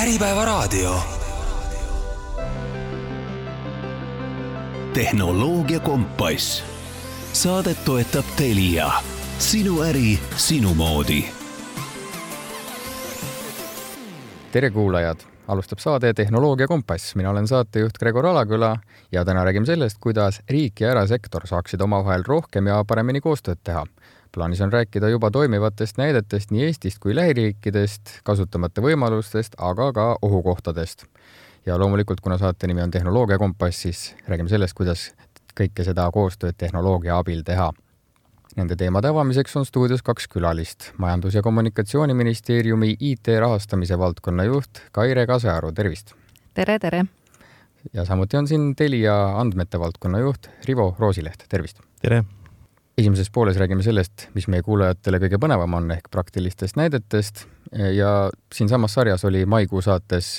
Äripäevaraadio. Tehnoloogia kompass. Saadet toetab Telia. Sinu äri, sinu moodi. Tere kuulajad! Alustab saade Tehnoloogia kompass. Mina olen saatejuht Gregor Alaküla ja täna räägime sellest, kuidas riik ja erasektor saaksid omavahel rohkem ja paremini koostööd teha. Plaanis on rääkida juba toimivatest näidetest nii Eestist kui lähiriikidest, kasutamata võimalustest, aga ka ohukohtadest. Ja loomulikult, kuna saate nimi on Tehnoloogia kompass, siis räägime sellest, kuidas kõike seda koostööd tehnoloogia abil teha. Nende teemade avamiseks on stuudios 2 külalist. Majandus- ja Kommunikatsiooniministeeriumi IT rahastamise valdkonna juht Kaire Kasearu, tervist! Tere! Ja samuti on siin Telia andmete valdkonna juht Rivo Roosileht, tervist! Tere! Esimeses pooles räägime sellest, mis meie kuulajatele kõige põnevam on ehk praktilistest näidetest ja siin samas sarjas oli maikuu saates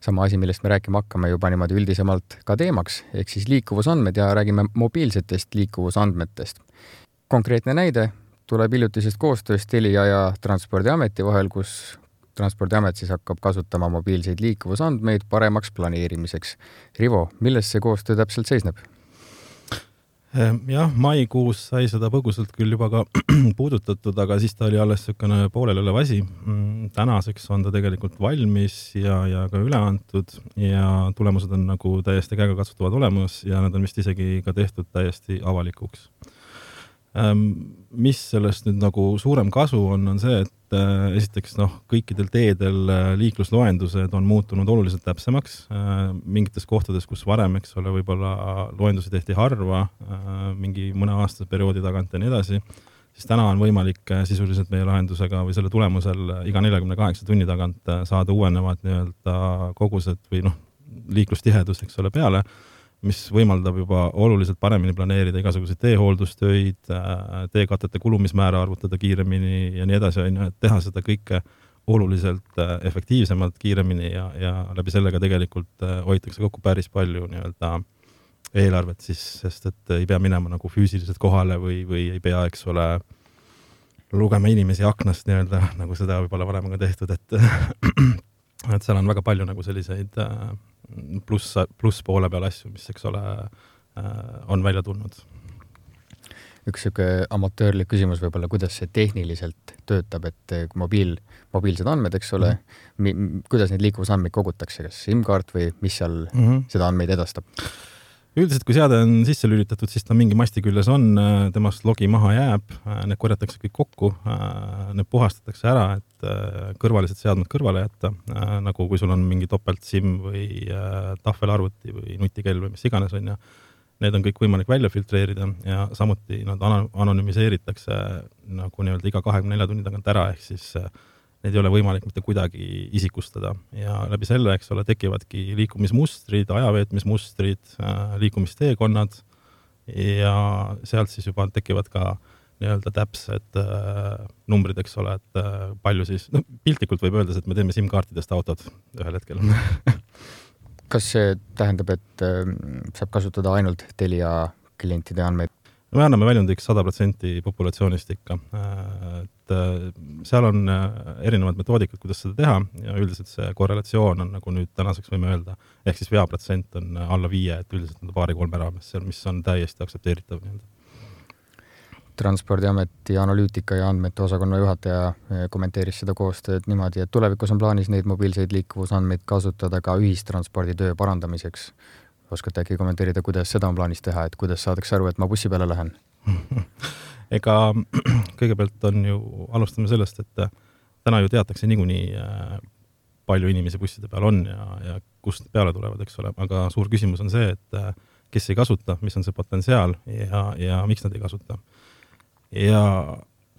sama asi, millest me rääkima hakkame juba niimoodi üldisemalt ka teemaks, ehk siis liikuvusandmed ja räägime mobiilsetest liikuvusandmetest. Konkreetne näide tuleb hiljutisest koostööst Telia ja Transpordiameti vahel, kus Transpordiamet siis hakkab kasutama mobiilseid liikuvusandmeid paremaks planeerimiseks. Rivo, milles see koostöö täpselt seisneb? Jah, maikuus sai seda põgusalt küll juba ka puudutatud, aga siis ta oli alles sükene poolel olev asi. Tänaseks on ta tegelikult valmis ja ka üle antud ja tulemused on nagu täiesti käegakatsutavad olemas ja need on vist isegi ka tehtud täiesti avalikuks. Mis sellest nüüd nagu suurem kasu on see, et esiteks kõikidel teedel liiklusloendused on muutunud oluliselt täpsemaks. Mingites kohtades, kus varem, võib-olla loendusi tehti harva, mingi mõne aastase perioodi tagant ja nii edasi, siis täna on võimalik sisuliselt meie lahendusega või selle tulemusel iga 48 tunni tagant saada uuenevad kogused või liiklustihedus, peale, mis võimaldab juba oluliselt paremini planeerida igasuguseid teehooldustöid, teekatete kulumismäära arvutada kiiremini ja nii edasi, et teha seda kõike oluliselt efektiivsemalt, kiiremini ja läbi sellega tegelikult hoitakse kokku päris palju eelarvet, sest et ei pea minema nagu füüsiliselt kohale või ei pea, lugema inimesi aknast nagu seda võib-olla varem on tehtud, et seal on väga palju nagu selliseid pluss poole peal asju, mis on välja tulnud. Üks amatöörlik küsimus võib-olla, kuidas see tehniliselt töötab, et mobiilsed andmed, kuidas neid liikuvusandmeid kogutakse, kas SIM-kaart või mis seal seda andmeid edastab? Üldiselt, kui seade on sisse lülitatud, siis ta mingi masti küljes on, temast logi maha jääb, need korjatakse kõik kokku, need puhastatakse ära, et kõrvalised seadmed kõrvale jätta, nagu kui sul on mingi topelt SIM või tahvelarvuti või nutikell või mis iganes on ja need on kõik võimalik välja filtreerida ja samuti nad anonüümiseeritakse nagu iga 24 tunni tagant ära, ehk siis need ei ole võimalik mitte kuidagi isikustada ja läbi selle, tekivadki liikumismustrid, ajaveetmismustrid, liikumisteekonnad ja sealt siis juba tekivad ka täpsed numbrid, et palju siis, piltlikult võib öelda, et me teeme SIM-kaartidest autod ühel hetkel. Kas see tähendab, et saab kasutada ainult Telia klientide andmeid? Me anname väljundiks 100% populatsioonist ikka. Seal on erinevad metoodikad, kuidas seda teha ja üldiselt see korrelatsioon on nagu nüüd tänaseks võime öelda, ehk siis veaprotsent on alla 5, et üldiselt on 2-3 raames seal, mis on täiesti aktsepteeritav. Transpordiameti analüütika ja andmete osakonna juhataja kommenteeris seda koostööd niimoodi, et tulevikus on plaanis neid mobiilseid liikuvusandmeid kasutada ka ühistransporditöö parandamiseks. Oskate äkki kommenteerida, kuidas seda on plaanis teha, et kuidas saadakse aru, et ma bussi peale lähen? Ega kõigepealt on ju, alustame sellest, et täna ju teatakse niikuinii palju inimesi busside peal on ja kust peale tulevad, aga suur küsimus on see, et kes ei kasuta, mis on see potentsiaal ja miks nad ei kasuta. Ja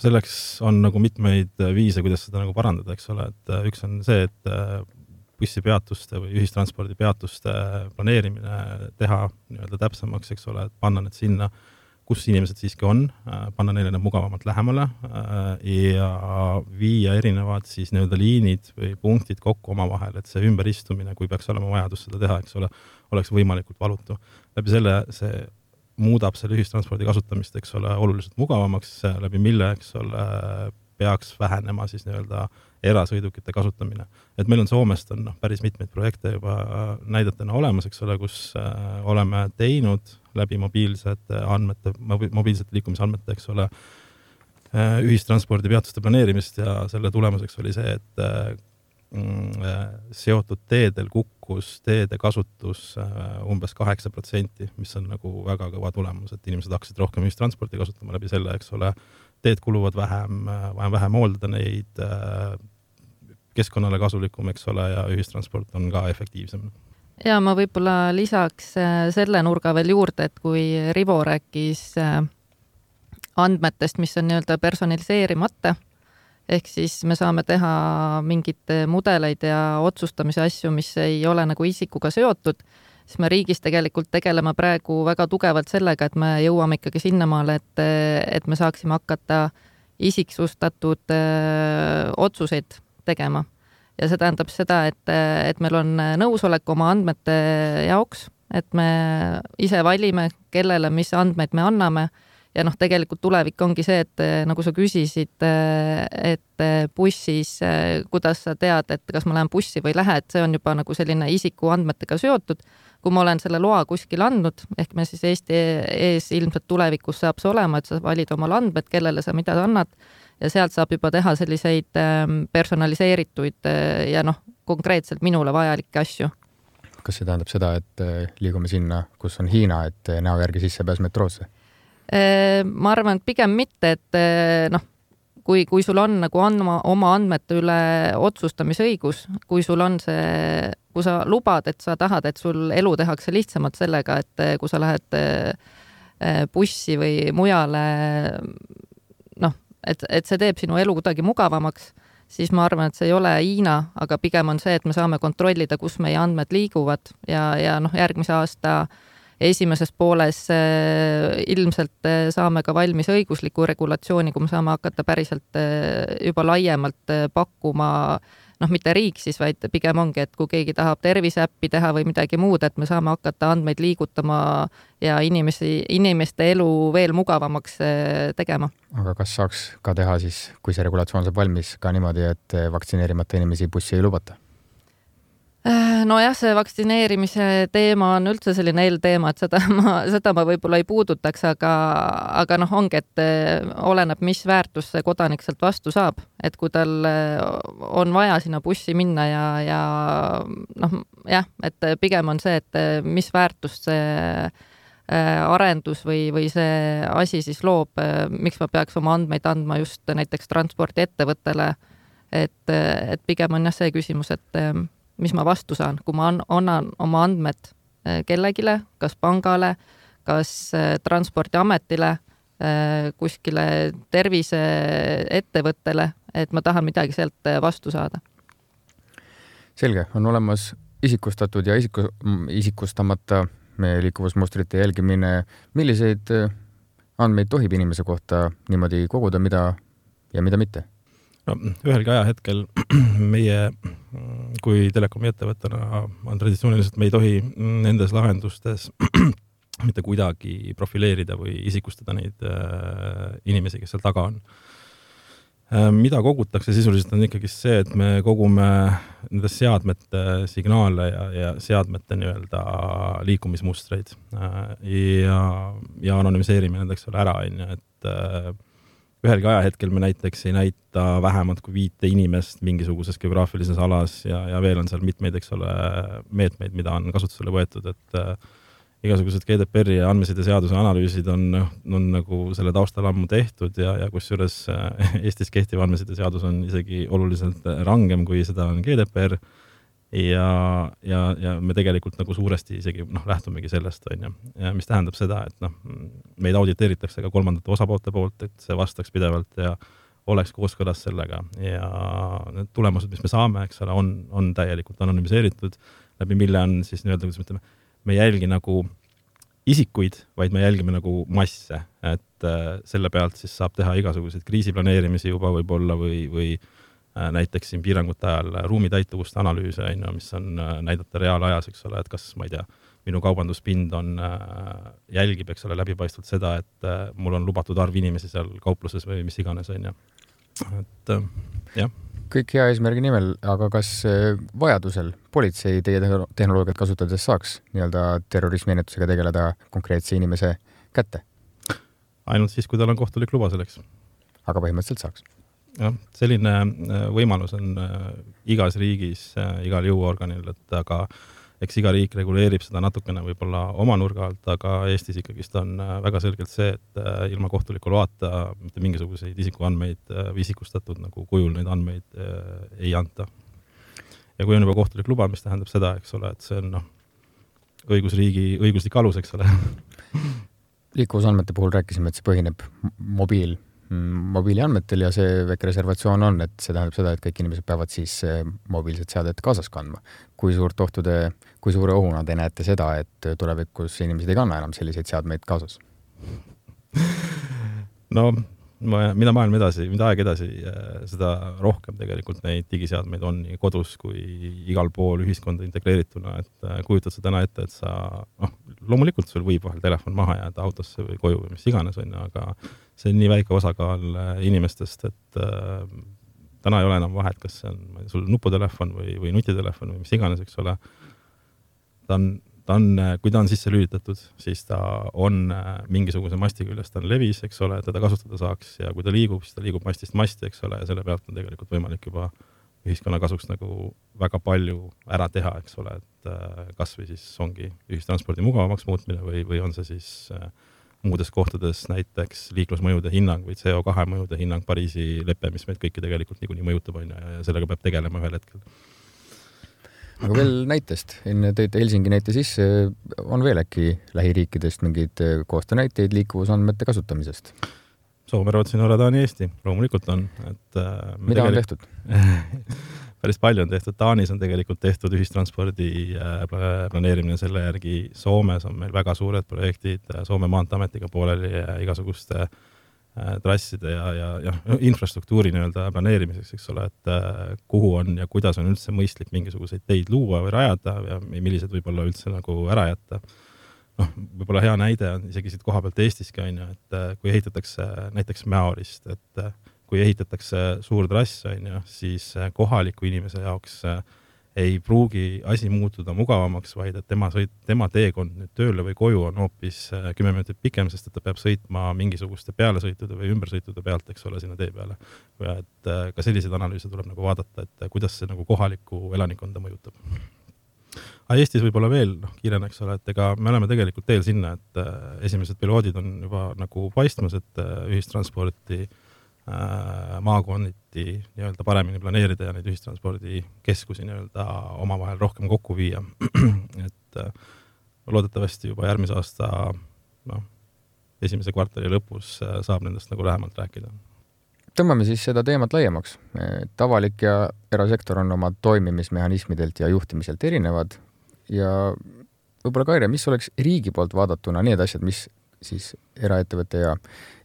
selleks on nagu mitmeid viise, kuidas seda nagu parandada, et üks on see, et bussipeatuste või ühistranspordi peatuste planeerimine teha täpsemaks, et panna need sinna, kus inimesed siiski on, panna neile need mugavamalt lähemale ja viia erinevad siis liinid või punktid kokku omavahel, et see ümberistumine, kui peaks olema vajadus seda teha, oleks võimalikult valutu. Läbi selle see muudab selle ühistranspordi kasutamist, oluliselt mugavamaks, läbi mille, peaks vähenema siis nii-öelda erasõidukite kasutamine. Et meil on Soomest on päris mitmeid projekte juba näidetena olemas, eks ole, kus oleme teinud läbi mobiilsete liikumisandmete, eks ole, ühistranspordi peatuste planeerimist ja selle tulemuseks oli see, et seotud teedel kukkus teede kasutus umbes 8%, mis on nagu väga kõva tulemus, et inimesed hakkasid rohkem ühistransporti kasutama läbi selle, eks ole, teed kuluvad vähem hooldada neid, keskkonnale kasulikum, eks ole, ja ühistransport on ka efektiivsem. Ja ma võib-olla lisaks selle nurga veel juurde, et kui Rivo rääkis andmetest, mis on nii-öelda personaliseerimata, ehk siis me saame teha mingid mudeleid ja otsustamise asju, mis ei ole nagu isikuga seotud, siis me riigis tegelikult tegeleme praegu väga tugevalt sellega, et me jõuame ikkagi sinnamaale, et me saaksime hakata isiksustatud otsuseid tegema. Ja see tähendab seda, et meil on nõusolek oma andmete jaoks, et me ise valime, kellele mis andmeid me anname. Ja tegelikult tulevik ongi see, et nagu sa küsisid, et bussis, kuidas sa tead, et kas ma lähen bussi või lähe, et see on juba nagu selline isiku andmetega seotud. Kui ma olen selle loa kuskil andnud, ehk me siis Eesti ees ilmselt tulevikus saab see olema, et sa valid omal andmed, kellele sa mida annad ja sealt saab juba teha selliseid personaliseerituid ja konkreetselt minule vajalikke asju. Kas see tähendab seda, et liigume sinna, kus on Hiina, et näo järgi sisse pääs metroosse? Ma arvan, et pigem mitte, et kui sul on nagu oma andmete üle otsustamisõigus, kui sul on see, kui sa lubad, et sa tahad, et sul elu tehakse lihtsamalt sellega, et kui sa lähed bussi või mujale, et see teeb sinu elu kuidagi mugavamaks, siis ma arvan, et see ei ole Hiina, aga pigem on see, et me saame kontrollida, kus meie andmed liiguvad ja järgmise aasta esimeses pooles ilmselt saame ka valmis õigusliku regulatsiooni, kui me saame hakata päriselt juba laiemalt pakkuma, mitte riik siis, vaid pigem ongi, et kui keegi tahab terviseäppi teha või midagi muud, et me saame hakata andmeid liigutama ja inimeste elu veel mugavamaks tegema. Aga kas saaks ka teha siis, kui see regulatsioon saab valmis, ka niimoodi, et vaktsineerimata inimesi bussi ei lubata? Nojah, see vaktsineerimise teema on üldse selline eelteema, et seda ma võib-olla ei puudutaks, aga ongi, et oleneb, mis väärtus see kodanik sealt vastu saab. Et kui tal on vaja sinna bussi minna et pigem on see, et mis väärtust see arendus või see asi siis loob, miks ma peaks oma andmeid andma just näiteks transpordiettevõttele, et pigem on see küsimus, et mis ma vastu saan, kui ma annan oma andmed kellegile, kas pangale, kas transpordiametile, kuskile terviseettevõttele, et ma tahan midagi sealt vastu saada. Selge, on olemas isikustatud ja isikustamata liikuvusmustrite jälgimine. Milliseid andmeid tohib inimese kohta niimoodi koguda, mida ja mida mitte? Ühelgi ajahetkel meie kui telekomi ettevõttena on traditsiooniliselt, me ei tohi nendes lahendustes mitte kuidagi profileerida või isikustada neid inimesi, kes seal taga on. Mida kogutakse sisuliselt on ikkagi see, et me kogume nendes seadmete signaale ja seadmete nii-öelda liikumismustreid ja anonymiseerime nendeks ära, et ühelgi ajahetkel me näiteks ei näita vähemalt kui 5 inimest mingisuguses geograafilises alas ja veel on seal mitmeid, eks ole, meetmeid, mida on kasutusele võetud, et igasugused GDPR ja andmeside seaduse analüüsid on nagu selle taustal ammu tehtud ja kusjuures Eestis kehtiv andmeside seadus on isegi oluliselt rangem, kui seda on GDPR ja me tegelikult nagu suuresti isegi lähtumegi sellest, mis tähendab seda, et meid auditeeritakse ka kolmandate osapoolte poolt, et see vastaks pidevalt ja oleks kooskõlas sellega ja need tulemused, mis me saame, eks ole, on täielikult anonymiseeritud, läbi mille on siis nii-öelda, kuidas me ütleme, me ei jälgi nagu isikuid, vaid me jälgime nagu masse, et selle pealt siis saab teha igasuguseid kriisiplaneerimisi juba võib-olla või näiteks siin piirangute ajal ruumitäituvust analüüse, mis on näidata reaalajas, eks ole, et kas, ma ei tea, minu kaubanduspind jälgib, eks ole, läbipaistvalt seda, et mul on lubatud arv inimesi seal kaupluses või mis iganes, et jah. Kõik hea eesmärgi nimel, aga kas vajadusel politsei teie tehnoloogiat kasutades saaks nii-öelda terrorismiennetusega tegeleda konkreetse inimese kätte? Ainult siis, kui tal on kohtulik luba selleks. Aga põhimõtteliselt saaks. Jah, selline võimalus on igas riigis, igal jõuorganil, et aga eks iga riik reguleerib seda natukene võib-olla oma nurga alt, aga Eestis ikkagist on väga selgelt see, et ilma kohtuliku loata mitte mingisuguseid isikuandmeid või isikustatud nagu kujul neid andmeid ei anta. Ja kui on juba kohtulik luba, mis tähendab seda, eks ole, et see on õigusriigi õiguslik alus, eks ole. Liikuvusandmete puhul rääkisime, et see põhineb mobiiliandmetel ja see väike reservatsioon on, et see tähendab seda, et kõik inimesed peavad siis mobiilset seadet kaasas kandma. Kui suure ohuna te näete seda, et tulevikus inimesed ei kanna enam selliseid seadmeid kaasas? No, mida aeg edasi, seda rohkem tegelikult neid digiseadmeid on nii kodus kui igal pool ühiskonda integreerituna, et kujutad sa täna ette, et sa, loomulikult sul võib vahel telefon maha jääda autosse või koju või mis iganes on, aga see on nii väike osakaal inimestest, et täna ei ole enam vahet, kas see on sul nuputelefon või nutitelefon või mis iganes, eks ole. Kui ta on sisse lülitatud, siis ta on mingisuguse masti küljes, ta on levis, eks ole, teda kasutada saaks ja kui ta liigub, siis ta liigub mastist masti, eks ole, ja selle pealt on tegelikult võimalik juba ühiskonna kasuks nagu väga palju ära teha, eks ole, et kas või siis ongi ühistranspordi mugavamaks muutmine või on see siis muudes kohtades näiteks liiklusmõjude hinnang või CO2 mõjude hinnang Pariisi leppe, mis meid kõiki tegelikult niikuinii mõjutab on ja sellega peab tegelema ühel hetkel. Aga veel näitest, enne tõite Helsingi näite sisse, on veel äkki lähiriikidest mingid koostöönäiteid liikuvusandmete kasutamisest? Soome, Rootsi, Norra, Taani, Eesti, loomulikult on. Mida on tehtud? Päris palju on tehtud. Taanis on tegelikult tehtud ühistranspordi planeerimine selle järgi. Soomes on meil väga suured projektid Soome maanteametiga pooleli ja igasuguste trasside ja infrastruktuuri nii-öelda planeerimiseks, eks ole, et kuhu on ja kuidas on üldse mõistlik mingisuguseid teid luua või rajada ja millised võib-olla üldse nagu ära jätta. Võib-olla hea näide on isegi siit koha pealt Eestiski on ju, et kui ehitatakse näiteks Mäorist, et kui ehitatakse suur trass on ju, siis kohaliku inimese jaoks ei pruugi asi muutuda mugavamaks, vaid et tema teekond nüüd tööle või koju on hoopis 10 minutit pikem, sest et ta peab sõitma mingisuguste pealesõitude või ümbersõitude pealt, eks ole, sinna tee peale. Ja et ka selliseid analüüse tuleb nagu vaadata, et kuidas see nagu kohalikku elanikkonda mõjutab. Aga Eestis võib-olla veel kiireneks ole, et ega me oleme tegelikult teel sinna, et esimesed piloodid on juba nagu paistmas, et ühistransporti maakonniti nii-öelda paremini planeerida ja neid ühistranspordikeskusi nii-öelda omavahel rohkem kokku viia. Et loodetavasti juba järgmise aasta esimese kvartali lõpus saab nendest nagu lähemalt rääkida. Tõmbame siis seda teemat laiemaks. Avalik ja erasektor on oma toimimismehhanismidelt ja juhtimiselt erinevad ja võib-olla Kaire, mis oleks riigi poolt vaadatuna need asjad, mis siis eraettevõtte ja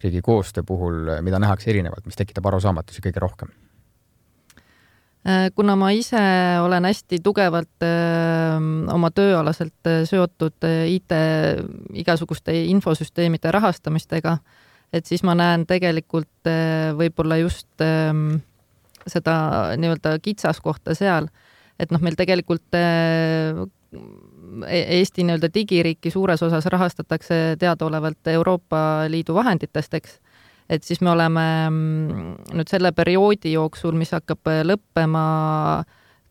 riigi koostöö puhul, mida nähakse erinevat, mis tekitab arusaamatusi kõige rohkem? Kuna ma ise olen hästi tugevalt oma tööalaselt seotud IT igasuguste infosüsteemide rahastamistega, et siis ma näen tegelikult võib-olla just seda nii-öelda kitsaskohta seal, et meil tegelikult Eesti nii-öelda digiriiki suures osas rahastatakse teadaolevalt Euroopa Liidu vahenditest, eks. Et siis me oleme nüüd selle perioodi jooksul, mis hakkab lõppema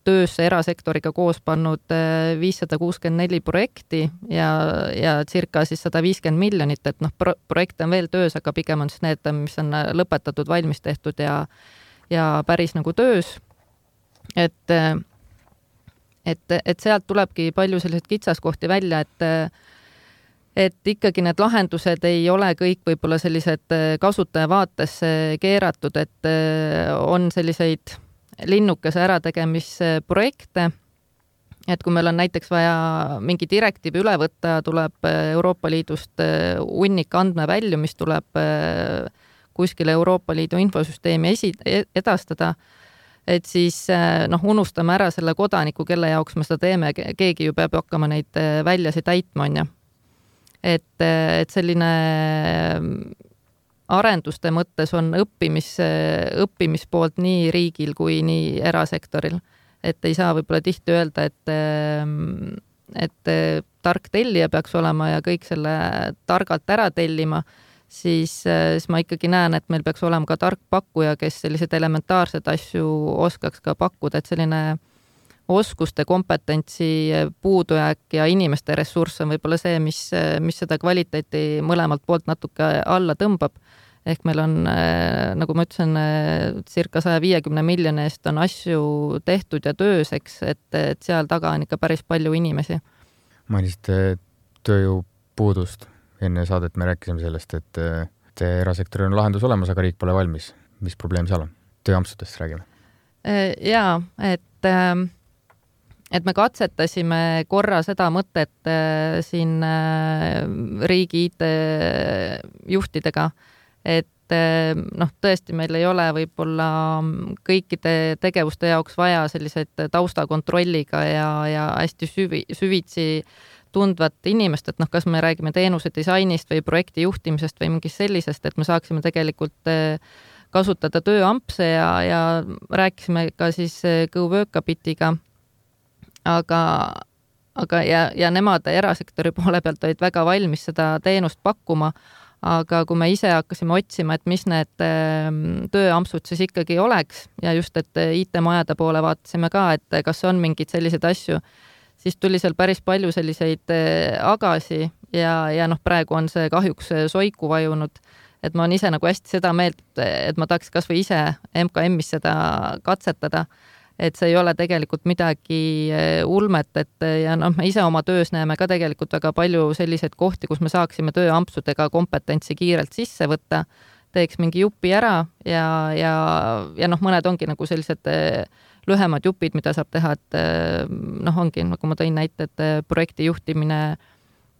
töösse erasektoriga koos pannud 564 projekti ja circa siis 150 miljonit, et projekte on veel töös, aga pigem on siis need, mis on lõpetatud, valmis tehtud ja päris nagu töös. Et sealt tulebki palju selliseid kitsaskohti välja, et ikkagi need lahendused ei ole kõik võib-olla sellised kasutaja vaatesse keeratud, et on selliseid linnukese ärategemisprojekte, et kui meil on näiteks vaja mingi direktiivi üle võtta, tuleb Euroopa Liidust hunnik andmevälju, mis tuleb kuskile Euroopa Liidu infosüsteemi edastada, et siis unustame ära selle kodaniku, kelle jaoks me seda teeme, keegi ju peab hakkama neid väljasid täitma, on ju. Et selline arenduste mõttes on õppimispoolt nii riigil kui nii erasektoril. Et ei saa võib-olla tihti öelda, et tark tellija peaks olema ja kõik selle targalt ära tellima, siis ma ikkagi näen, et meil peaks olema ka tark pakkuja, kes sellised elementaarsed asju oskaks ka pakkuda, et selline oskuste kompetentsi puudujääk ja inimeste ressurss on võib-olla see, mis seda kvaliteeti mõlemalt poolt natuke alla tõmbab. Ehk meil on, nagu ma ütlesin, circa 150 miljoni eest on asju tehtud ja tööseks, et seal taga on ikka päris palju inimesi. Mainisite tööjõupuudust. Enne saadet me rääkisime sellest, et erasektori on lahendus olemas, aga riik pole valmis. Mis probleem seal on? Tööampsudest räägime. Jaa, et me katsetasime korra seda mõtet siin riigi IT-juhtidega, et tõesti meil ei ole võib-olla kõikide tegevuste jaoks vaja selliseid taustakontrolliga ja hästi süvitsi tundvat inimest, et kas me räägime teenuse disainist või projekti juhtimisest või mingist sellisest, et me saaksime tegelikult kasutada tööampse ja rääkisime ka siis GoWorkabitiga, aga nemad erasektori poole pealt olid väga valmis seda teenust pakkuma, aga kui me ise hakkasime otsima, et mis need tööampsud siis ikkagi oleks ja just, et IT-majade poole vaatasime ka, et kas on mingid sellised asju, siis tuli seal päris palju selliseid agasi ja praegu on see kahjuks soiku vajunud, et ma olen ise nagu hästi seda meelt, et ma tahaks kas või ise MKM-is seda katsetada, et see ei ole tegelikult midagi ulmet, ja me ise oma töös näeme ka tegelikult väga palju selliseid kohti, kus me saaksime tööampsudega kompetentsi kiirelt sisse võtta, teeks mingi jupi ära ja mõned ongi nagu sellised lühemad jupid, mida saab teha, et ongi, nagu ma tõin näite, et projekti juhtimine,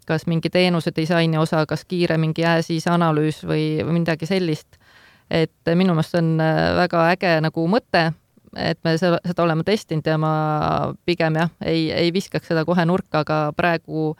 kas mingi teenuse disaini osa, kas kiire mingi as-is analüüs või midagi sellist. Et minu meelest on väga äge nagu mõte, et me seda oleme testinud ja ma pigem ei viskaks seda kohe nurka, aga praegu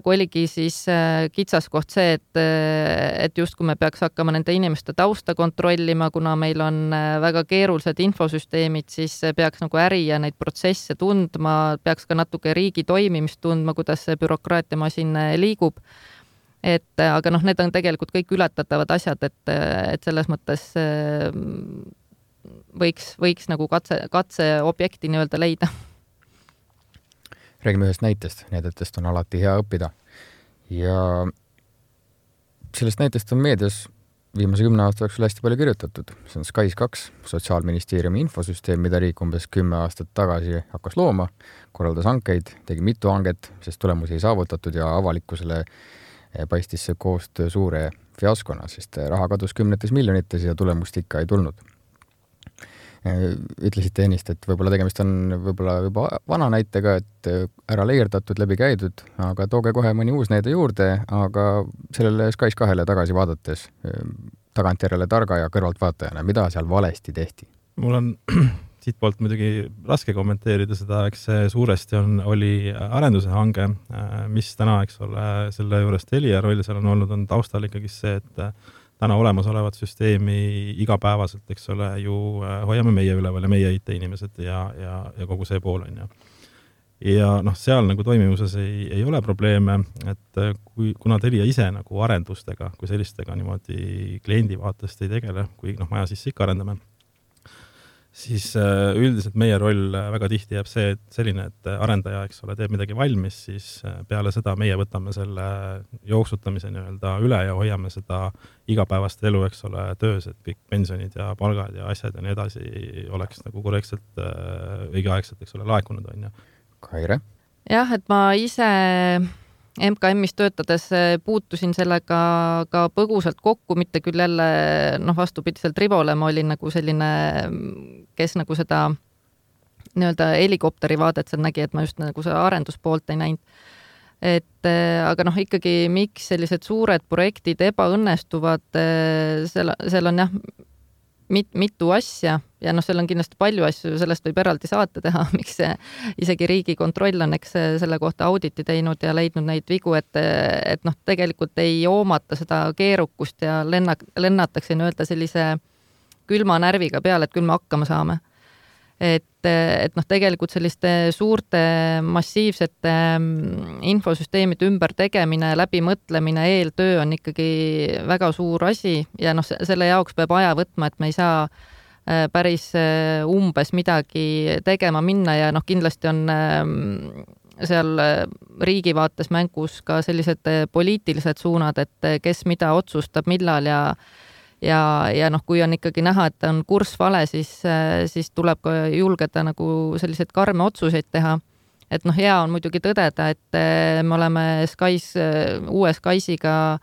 oligi siis kitsaskoht see, et just kui me peaks hakkama nende inimeste tausta kontrollima, kuna meil on väga keerulised infosüsteemid, siis peaks nagu äri ja neid protsesse tundma, peaks ka natuke riigi toimimist tundma, kuidas see bürokraatiamasin liigub. Aga need on tegelikult kõik ületatavad asjad, et selles mõttes võiks nagu katseobjekti nii-öelda leida. Räägime ühest näitest. Näidetest on alati hea õppida. Ja sellest näitest on meedias viimase 10 aasta jooksul hästi palju kirjutatud. See on SKAIS2, Sotsiaalministeeriumi infosüsteem, mida riik umbes 10 aastat tagasi hakkas looma, korraldas hankeid, tegi mitu hanget, sest tulemusi ei saavutatud ja avalikkusele paistis see koostöö suure fiaskona, sest raha kadus 10 miljonites ja tulemust ikka ei tulnud. Ütlesite ennist, et võib-olla tegemist on võib-olla juba vana näitega, et ära leierdatud, läbi käidud, aga tooge kohe mõni uus näide juurde, aga sellele SKAIS2-le tagasi vaadates tagantjärele targa ja kõrvalt vaatajana, mida seal valesti tehti? Mul on siit poolt muidugi raske kommenteerida seda, eks see suuresti oli arenduse hange, mis täna, eks ole, selle juures Telia roll seal on olnud, on taustal ikkagi see, et täna olemasolevat süsteemi igapäevaselt, eks ole, ju hoiame meie üleval ja meie IT-inimesed ja kogu see pool on. Ja seal nagu toimimuses ei ole probleeme, et kuna Telia ise nagu arendustega, kui sellistega niimoodi kliendi vaatest ei tegele, kui maja sisse ikka arendame, siis üldiselt meie roll väga tihti jääb see, et selline, et arendaja, eks ole, teeb midagi valmis, siis peale seda meie võtame selle jooksutamise nii-öelda üle ja hoiame seda igapäevast elu, eks ole, töös, et kõik pensionid ja palgad ja asjad ja nii edasi oleks nagu korrektselt õigeaegselt, eks ole, laekunud on. Kaire? Jah, et ma ise MKM-is töötades puutusin sellega ka põgusalt kokku, mitte küll jälle vastupidiselt Rivole, ma olin nagu selline, kes nagu seda nii-öelda helikopteri vaadet seal nägi, et ma just nagu seda arenduspoolt ei näinud. Aga ikkagi miks sellised suured projektid ebaõnnestuvad, seal on jah, mitu asja ja seal on kindlasti palju asju, sellest võib eraldi saate teha, miks isegi Riigikontroll on selle kohta auditi teinud ja leidnud neid vigu, et tegelikult ei hoomata seda keerukust ja lennatakse nii-öelda sellise külma närviga peale, et küll me hakkama saame. Et tegelikult selliste suurte massiivsete infosüsteemide ümber tegemine, läbimõtlemine, eeltöö on ikkagi väga suur asi ja selle jaoks peab aja võtma, et me ei saa päris umbes midagi tegema minna ja kindlasti on seal riigi vaates mängus ka sellised poliitilised suunad, et kes mida otsustab, millal ja kui on ikkagi näha, et on kurss vale, siis tuleb ka julgeda nagu selliseid karme otsuseid teha. Et hea on muidugi tõdeda, et me oleme uue Skysiga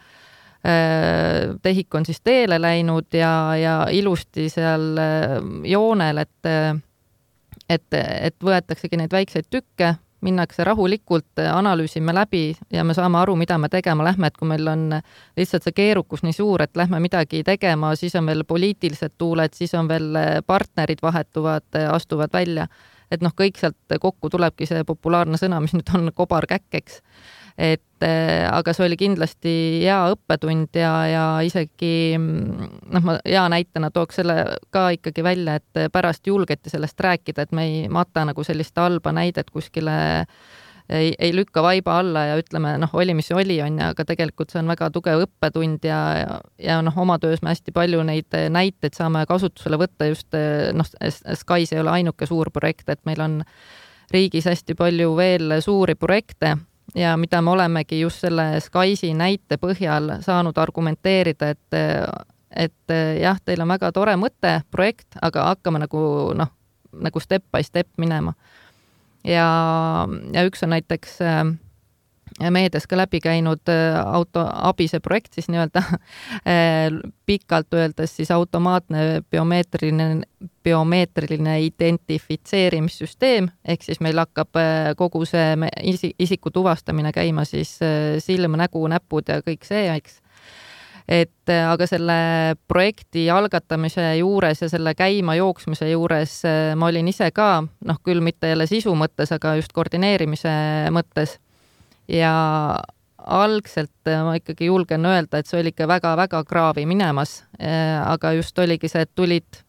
tehik on siis teele läinud ja ilusti seal joonel, et võetaksegi neid väikseid tükke, minnakse rahulikult, analüüsime läbi ja me saame aru, mida me tegema lähme, et kui meil on lihtsalt see keerukus nii suur, et lähme midagi tegema, siis on veel poliitilised tuuled, siis on veel partnerid vahetuvad, astuvad välja. Et kõik sealt kokku tulebki see populaarne sõna, mis nüüd on kobarkäkkeks. Aga see oli kindlasti hea õppetund ja isegi ma hea näitena tooks selle ka ikkagi välja, et pärast julgeti sellest rääkida, et me ei mata nagu sellist halba näidet kuskile ei lükka vaiba alla ja ütleme, oli mis oli, aga tegelikult see on väga tugev õppetund ja oma töös me hästi palju neid näiteid saame kasutusele võtta just, Skys ei ole ainuke suur projekt, et meil on riigis hästi palju veel suuri projekte ja mida me olemegi just selle Skysi näite põhjal saanud argumenteerida, et jah, teil on väga tore mõte, projekt, aga hakkame nagu step by step minema. Ja üks on näiteks meedias ka läbi käinud autoabise projekt, siis nii-öelda pikalt öeldes siis automaatne biomeetriline identifitseerimissüsteem, ehk siis meil hakkab kogu see isiku tuvastamine käima siis silm, nägu, näpud ja kõik see, eks. Aga selle projekti algatamise juures ja selle käima jooksmise juures ma olin ise ka, küll mitte jälle sisu mõttes, aga just koordineerimise mõttes. Ja algselt ma ikkagi julgen öelda, et see oli ikka väga-väga kraavi minemas, aga just oligi see, et tulid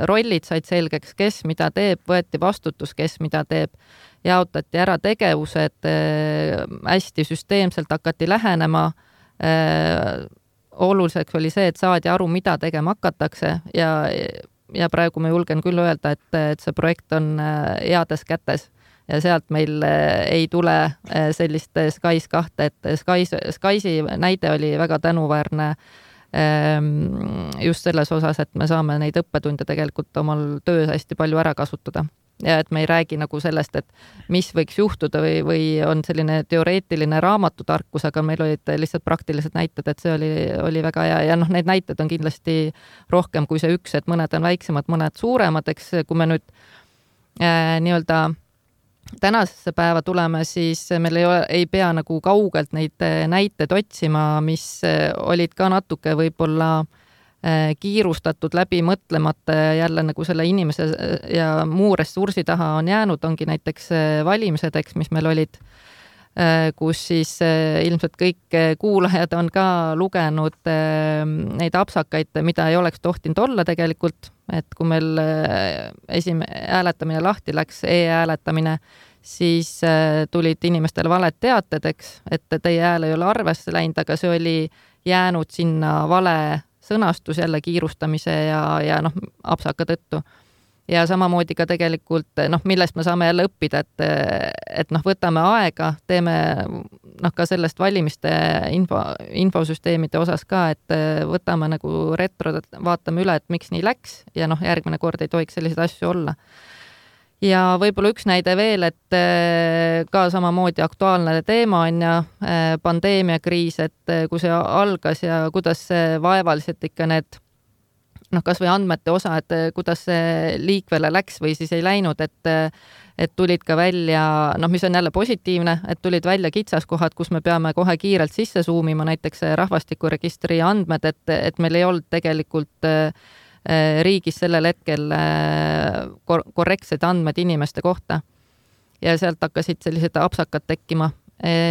rollid, said selgeks, kes mida teeb, võeti vastutus, kes mida teeb, jaotati ära tegevused, hästi süsteemselt hakati lähenema, oluliseks oli see, et saadi aru, mida tegema hakatakse ja praegu ma julgen küll öelda, et see projekt on heades kätes ja sealt meil ei tule sellist Skys 2, et Skysi näide oli väga tänuväärne just selles osas, et me saame neid õppetunde tegelikult omal töös hästi palju ära kasutada. Ja et me ei räägi nagu sellest, et mis võiks juhtuda või on selline teoreetiline raamatutarkus, aga meil olid lihtsalt praktilised näited, et see oli väga hea ja need näited on kindlasti rohkem kui see üks, et mõned on väiksemad, mõned suuremad, eks kui me nüüd nii-öelda tänasesse päeva tuleme, siis meil ei pea nagu kaugelt neid näiteid otsima, mis olid ka natuke võib-olla kiirustatud läbi mõtlemata jälle nagu selle inimese ja muu ressursi taha on jäänud, ongi näiteks valimised, eks, mis meil olid, kus siis ilmselt kõik kuulajad on ka lugenud neid apsakaid, mida ei oleks tohtinud olla tegelikult, et kui meil hääletamine lahti läks, e-hääletamine, siis tulid inimestele valed teated, eks, et teie hääl ei ole arvesse läinud, aga see oli jäänud sinna vale sõnastus jälle kiirustamise ja apsaka tõttu. Ja samamoodi ka tegelikult, millest me saame jälle õppida, et võtame aega, teeme ka sellest valimiste infosüsteemide osas ka, et võtame nagu retro, vaatame üle, et miks nii läks ja järgmine kord ei tohiks selliseid asju olla. Ja võib-olla üks näide veel, et ka samamoodi aktuaalne teema on ja pandeemiakriis, et kui see algas ja kuidas see vaevaliselt ikka need kas või andmete osa, et kuidas see liikvele läks või siis ei läinud, et tulid ka välja, mis on jälle positiivne, et tulid välja kitsaskohad, kus me peame kohe kiirelt sisse suumima, näiteks rahvastikuregistri andmed, et meil ei olnud tegelikult riigis sellel hetkel korrektsed andmed inimeste kohta. Ja sealt hakkasid sellised apsakad tekkima.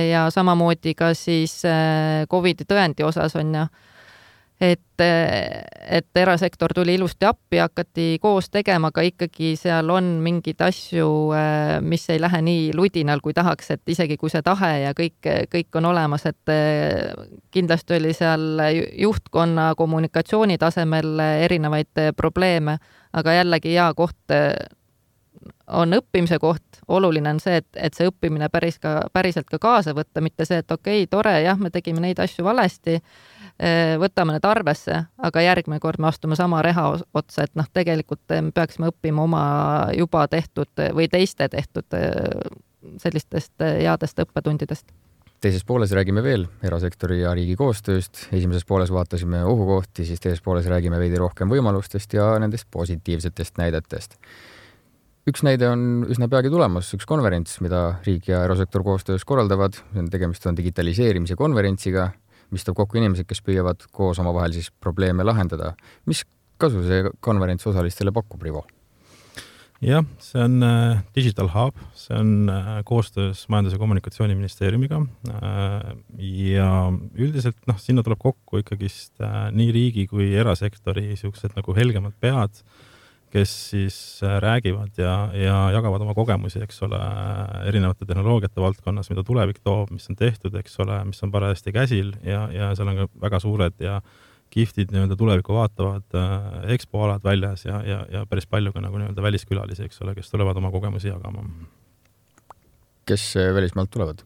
Ja samamoodi ka siis COVID-i tõendi osas on ja, et erasektor tuli ilusti appi, hakati koos tegema, aga ikkagi seal on mingid asju, mis ei lähe nii ludinal, kui tahaks, et isegi kui see tahe ja kõik on olemas, et kindlasti oli seal juhtkonna kommunikatsiooni tasemel erinevaid probleeme, aga jällegi hea koht on õppimise koht. Oluline on see, et see õppimine päriselt ka kaasa võtta, mitte see, et okei, tore, jah, me tegime neid asju valesti, võtame need arvesse, aga järgmine kord me astume sama reha otsa, et tegelikult me peaksime õppima oma juba tehtud või teiste tehtud sellistest headest õppetundidest. Teises pooles räägime veel erasektori ja riigi koostööst. Esimeses pooles vaatasime ohukohti, siis teises pooles räägime veidi rohkem võimalustest ja nendest positiivsetest näidetest. Üks näide on üsna peagi tulemas, üks konverents, mida riik ja erasektor koostöös korraldavad. Tegemist on digitaliseerimise konverentsiga, mis toob kokku inimesed, kes püüavad koos omavahel siis probleeme lahendada. Mis kasu see konverents osalistele pakub, Rivo? Jah, see on Digital Hub, see on koostöös Majandus- ja Kommunikatsiooniministeeriumiga ja üldiselt sinna tuleb kokku ikkagist nii riigi kui erasektori siuksed nagu helgemad pead, kes siis räägivad ja jagavad oma kogemusi, eks ole, erinevate tehnoloogiate valdkonnas, mida tulevik toob, mis on tehtud, eks ole, mis on parajasti käsil ja seal on ka väga suured ja kihvtid tulevikku vaatavad expoalad väljas ja päris palju ka nagu väliskülalisi, eks ole, kes tulevad oma kogemusi jagama. Kes välismaalt tulevad?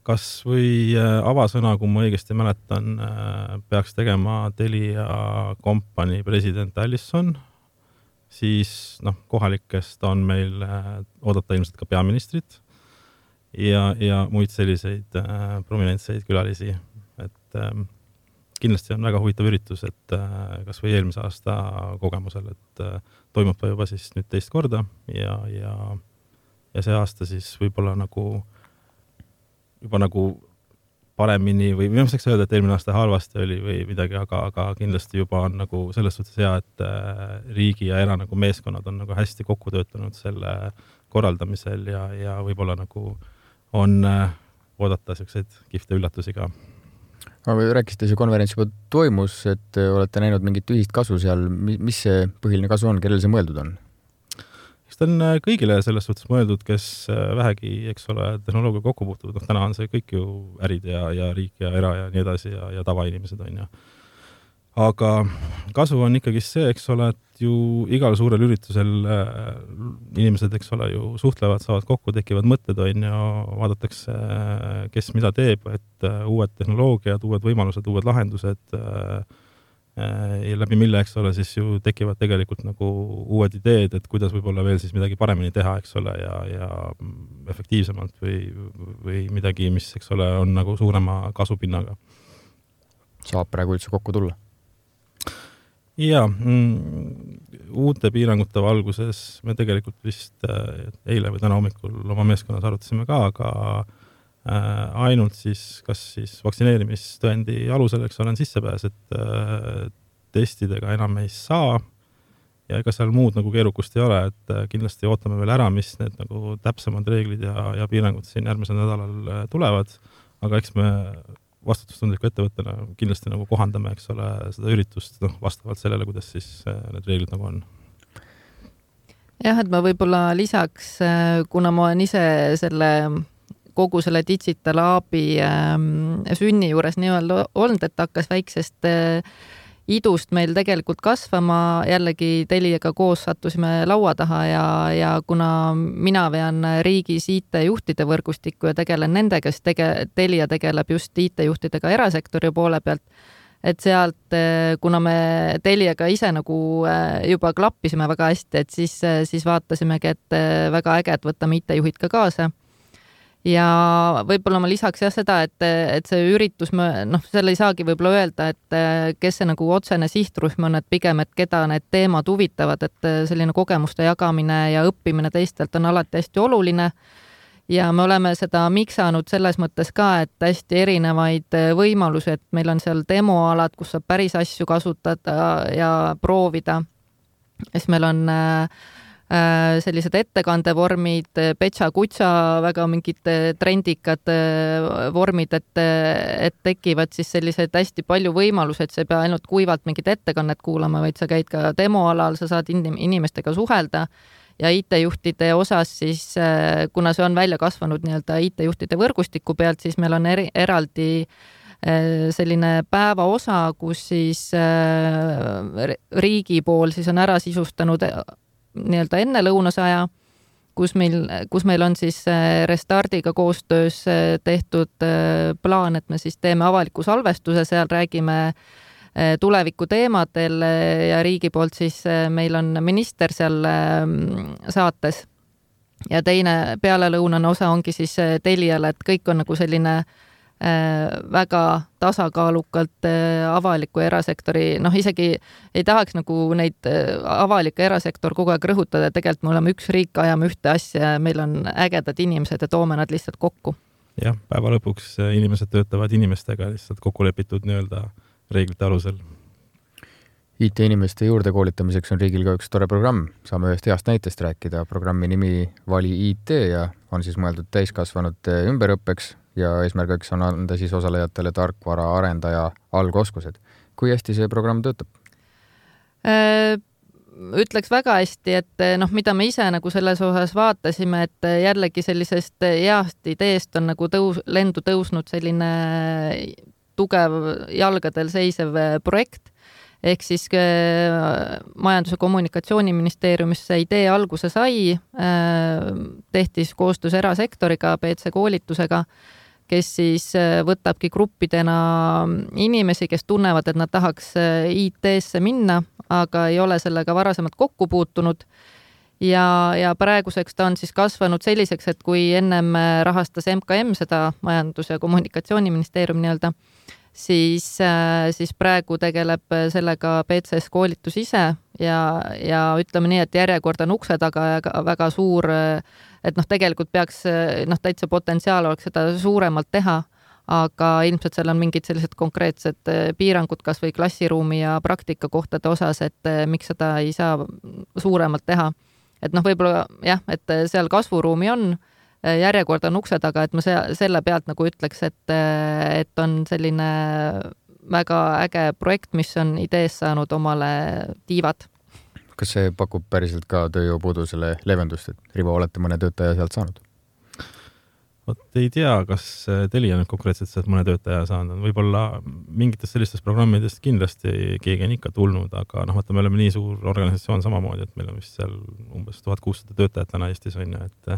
Kas või avasõna, kui ma õigesti mäletan, peaks tegema Telia kompanii president Allison, siis kohalikest on meil oodata ilmselt ka peaministrit ja muid selliseid prominentseid külalisi. Et kindlasti on väga huvitav üritus, et kas või eelmise aasta kogemusel, et toimub ta juba siis nüüd teist korda ja see aasta siis võib-olla juba nagu paremini või ma saaks öelda, et eelmine aasta halvasti oli või midagi, aga kindlasti juba on nagu selles suhtes hea, et riigi ja era nagu meeskonnad on nagu hästi kokku töötanud selle korraldamisel ja võib-olla nagu on oodata selliseid kihvte üllatusi ka. Aga rääkisite, see konverents juba toimus, et olete näinud mingit ühist kasu seal. Mis see põhiline kasu on, kellel see mõeldud on? Eks ta on kõigile selles suhtes mõeldud, kes vähegi, eks ole, tehnoloogia kokku puutuvad. Täna on see kõik ju ärid ja riik ja era ja nii edasi ja tavainimesed on ja. Aga kasu on ikkagi see, eks ole, et ju igal suurel üritusel inimesed, eks ole, ju suhtlevad, saavad kokku, tekivad mõtted on ja vaadatakse, kes mida teeb, et uued tehnoloogiad, uued võimalused, uued lahendused ja läbi mille, eks ole, siis ju tekivad tegelikult nagu uued ideed, et kuidas võib-olla veel siis midagi paremini teha, eks ole, ja efektiivsemalt või midagi, mis, eks ole, on nagu suurema kasupinnaga. Saab praegu üldse kokku tulla? Ja uute piirangute valguses me tegelikult vist eile või täna hommikul oma meeskonnas arutasime ka, aga ainult siis, kas siis vaktsineerimistõendi alusel, eks olen sissepääs, et testidega enam ei saa ja ega seal muud nagu keerukust ei ole, et kindlasti ootame veel ära, mis need nagu täpsemad reeglid ja piirangud siin järgmisel nädalal tulevad, aga eks me vastutustundliku ettevõttena kindlasti nagu kohandame, eks ole, seda üritust vastavalt sellele, kuidas siis need reeglid nagu on. Jah, et ma võib-olla lisaks, kuna ma olen ise kogu selle Digital Hubi sünni juures nii-öelda olnud, et hakkas väiksest idust meil tegelikult kasvama, jällegi Teliaga koos sattusime laua taha ja kuna mina vean riigis IT-juhtide võrgustikku ja tegelen nendega, siis Telia tegeleb just IT-juhtidega erasektori poole pealt, et sealt, kuna me Teliaga ise nagu juba klappisime väga hästi, et siis vaatasimegi, et väga äge, et võtame IT-juhid ka kaasa. Ja võib-olla ma lisaks seda, et see üritus, selle ei saagi võib-olla öelda, et kes see nagu otsene sihtrühm on, et pigem, et keda need teemad huvitavad, et selline kogemuste jagamine ja õppimine teistelt on alati hästi oluline. ja me oleme seda miksanud selles mõttes ka, et hästi erinevaid võimalusi, et meil on seal demoalad, kus saab päris asju kasutada ja proovida. Siis meil on sellised ettekandevormid, petša-kutša, väga mingid trendikad vormid, et tekivad siis sellised hästi palju võimalusi, et sa ei pea ainult kuivalt mingit ettekannet kuulama, vaid sa käid ka demoalal, sa saad inimestega suhelda. Ja IT-juhtide osas siis, kuna see on välja kasvanud nii-öelda IT-juhtide võrgustiku pealt, siis meil on eraldi selline päeva osa, kus siis riigi pool siis on ära sisustanud nii-öelda enne lõunasaja, kus meil on siis Restardiga koostöös tehtud plaan, et me siis teeme avaliku salvestuse, seal räägime tuleviku teemadel ja riigi poolt siis meil on minister seal saates ja teine pealelõunane osa ongi siis Teliale, et kõik on nagu selline väga tasakaalukalt avaliku erasektori, isegi ei tahaks nagu neid avalik erasektor kogu aeg rõhutada, tegelikult me oleme üks riik, ajame ühte asja ja meil on ägedad inimesed ja toome nad lihtsalt kokku. Jah, päeva lõpuks inimesed töötavad inimestega lihtsalt kokku lepitud nii-öelda reeglite alusel. IT-inimeste juurde koolitamiseks on riigil ka üks tore programm. Saame ühest heast näitest rääkida. Programmi nimi Vali IT ja on siis mõeldud täiskasvanute ümberõppeks ja eesmärgiks on anda siis osalejatele tarkvara arendaja algoskused. Kui hästi see programm töötab? Ütleks väga hästi, et mida me ise nagu selles osas vaatasime, et jällegi sellisest heast ideest on nagu lendu tõusnud selline tugev jalgadel seisev projekt, ehk siis Majandus- ja Kommunikatsiooniministeeriumis see idee alguse sai, tehti koostöös erasektoriga, PC koolitusega, kes siis võtabki gruppidena inimesi, kes tunnevad, et nad tahaks IT-sse minna, aga ei ole sellega varasemalt kokku puutunud. Ja praeguseks ta on siis kasvanud selliseks, et kui ennem rahastas MKM seda Majandus- ja Kommunikatsiooniministeerium nii-öelda, siis praegu tegeleb sellega PCS koolitus ise ja ütleme nii, et järjekord on ukse taga ja väga suur, et tegelikult peaks täitsa potentsiaal oleks seda suuremalt teha, aga ilmselt seal on mingid sellised konkreetsed piirangud kas või klassiruumi ja praktikakohtade osas, et miks seda ei saa suuremalt teha. Et võib-olla jah, et seal kasvuruumi on, järjekord on ukse taga, et ma selle pealt nagu ütleks, et on selline väga äge projekt, mis on idees saanud omale tiivad. Kas see pakub päriselt ka tööjõupuudusele leevendust, et Rivo, olete mõne töötaja sealt saanud? Ei tea, kas Telia nüüd konkreetselt sealt mõne töötaja saanud. Võib-olla mingitest sellistest programmidest kindlasti keegi on ikka tulnud, aga me oleme nii suur organisatsioon samamoodi, et meil on vist seal umbes 1600 töötajat täna Eestis on ju, et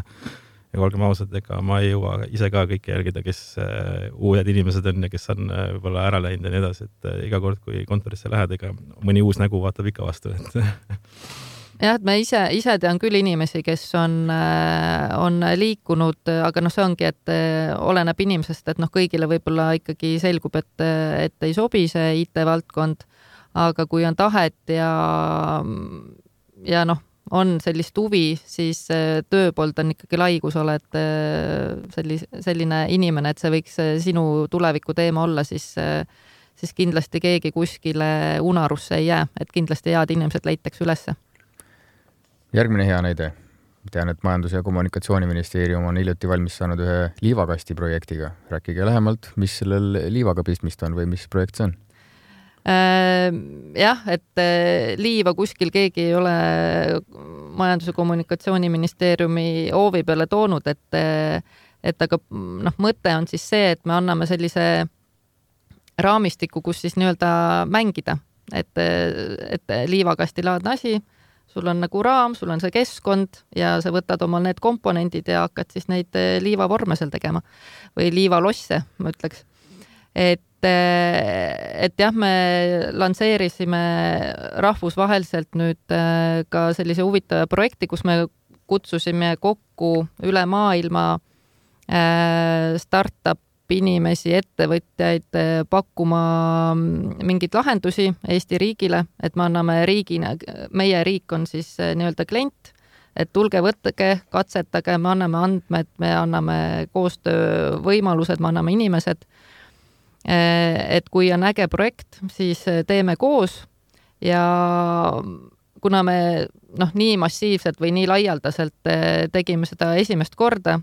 ja olgem ausad, ega ma ei jõua ise ka kõike jälgida, kes uued inimesed on ja kes on võib-olla ära läinud ja nii edasi, et iga kord, kui kontorisse lähed, ega mõni uus nägu vaatab ikka vastu, et jah, et me ise tean küll inimesi, kes on liikunud, aga see ongi, et oleneb inimesest, et kõigile võib-olla ikkagi selgub, et ei sobi see IT-valdkond, aga kui on tahet ja on sellist huvi, siis tööpoolt on ikkagi lai, kui sa oled selline inimene, et see võiks sinu tuleviku teema olla, siis kindlasti keegi kuskile unarusse ei jää, et kindlasti head inimesed leitakse ülesse. Järgmine hea näide. Tean, et Majandus- ja Kommunikatsiooniministeerium on hiljuti valmis saanud ühe liivakasti projektiga. Rääkige lähemalt, mis sellel liivaga pistmist on või mis projekt see on? Jah, et liiva kuskil keegi ei ole Majandus- ja Kommunikatsiooniministeeriumi hoovi peale toonud, et aga mõte on siis see, et me anname sellise raamistiku, kus siis nii-öelda mängida, et liivakastilaadne asi, sul on nagu raam, sul on see keskkond ja sa võtad omal need komponendid ja hakkad siis neid liivavorme seal tegema või liivalosse, ma ütleks. Et jah, me lansseerisime rahvusvaheliselt nüüd ka sellise huvitava projekti, kus me kutsusime kokku üle maailma startup inimesi, ettevõtjaid pakkuma mingeid lahendusi Eesti riigile, et me anname riigina, meie riik on siis nii-öelda klient, et tulge, võtke, katsetage, me anname andmed, me anname koostöövõimalused, me anname inimesed. Et kui on äge projekt, siis teeme koos ja kuna me nii massiivselt või nii laialdaselt tegime seda esimest korda,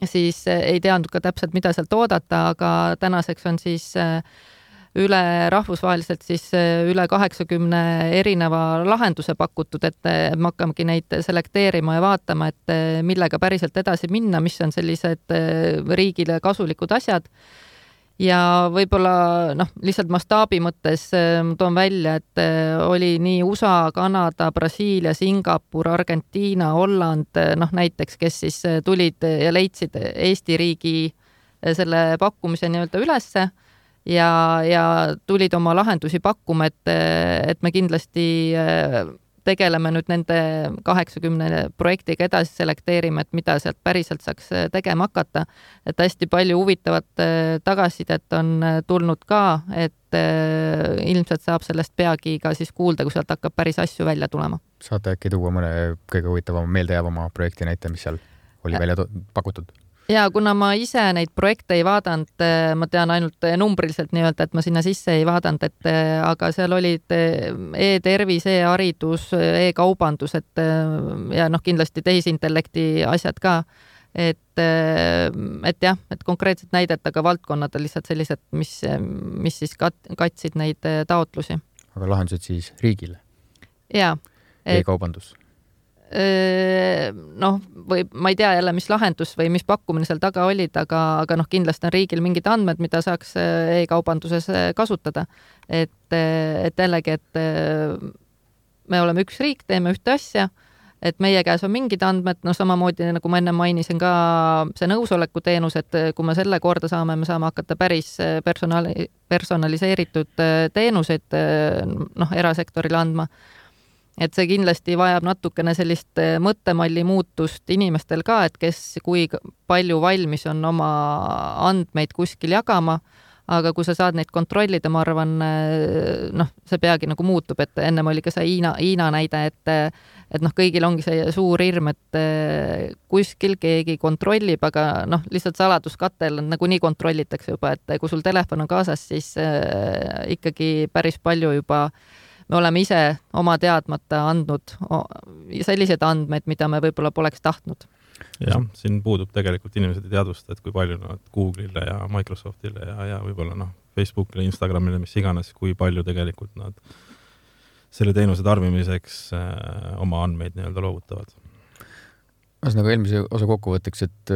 siis ei teadnud ka täpselt, mida sealt oodata, aga tänaseks on siis üle rahvusvaheliselt siis üle 80 erineva lahenduse pakutud, et me hakkamegi neid selekteerima ja vaatama, et millega päriselt edasi minna, mis on sellised riigile kasulikud asjad. Ja võib-olla lihtsalt mastaabi mõttes toon välja, et oli nii USA, Kanada, Brasiilia, Singapur, Argentiina, Holland, näiteks, kes siis tulid ja leidsid Eesti riigi selle pakkumise nii-öelda ülesse ja tulid oma lahendusi pakkuma, et me kindlasti tegeleme nüüd nende 80 projektiga edasi, selekteerime, et mida sealt päriselt saaks tegema hakata. Et hästi palju huvitavat tagasisidet on tulnud ka, et ilmselt saab sellest peagi ka siis kuulda, kui sealt hakkab päris asju välja tulema. Saate äkki tuua mõne kõige huvitavama meeldejäävama projekti näite, mis seal oli välja pakutud? Ja kuna ma ise neid projekte ei vaadanud, ma tean ainult numbriliselt nii-öelda, et ma sinna sisse ei vaadanud, aga seal olid e-tervis, e-haridus, e-kaubandus, ja kindlasti tehisintellekti asjad ka. Et jah, et konkreetselt näidet, aga valdkonnad on lihtsalt sellised, mis siis katsid neid taotlusi. Aga lahendused siis riigile? Jaa. E-kaubandus? Või ma ei tea jälle, mis lahendus või mis pakkumine seal taga olid, aga kindlasti on riigil mingid andmed, mida saaks e-kaubanduses kasutada. Et jällegi, et me oleme üks riik, teeme ühte asja, et meie käes on mingid andmed, samamoodi nagu ma enne mainisin ka see nõusoleku teenus, et kui me selle korda saame, me saame hakata päris personaliseeritud teenuseid erasektorile andma. Et see kindlasti vajab natukene sellist mõttemalli muutust inimestel ka, et kui palju valmis on oma andmeid kuskil jagama, aga kui sa saad neid kontrollida, ma arvan, see peagi nagu muutub, et ennem oli ka see Hiina näide, et kõigil ongi see suur hirm, et kuskil keegi kontrollib, aga lihtsalt saladuskattel nagu nii kontrollitakse juba, et kui sul telefon on kaasas, siis ikkagi päris palju juba me oleme ise oma teadmata andnud sellised andmeid, mida me võib-olla poleks tahtnud. Jah, siin puudub tegelikult inimesed ei teadvusta, et kui palju nad Google'ile ja Microsoftile ja võib-olla Facebookile, Instagramile, mis iganes, kui palju tegelikult nad selle teenuse tarbimiseks oma andmeid nii-öelda loovutavad. Nagu eelmise osa kokkuvõtteks, et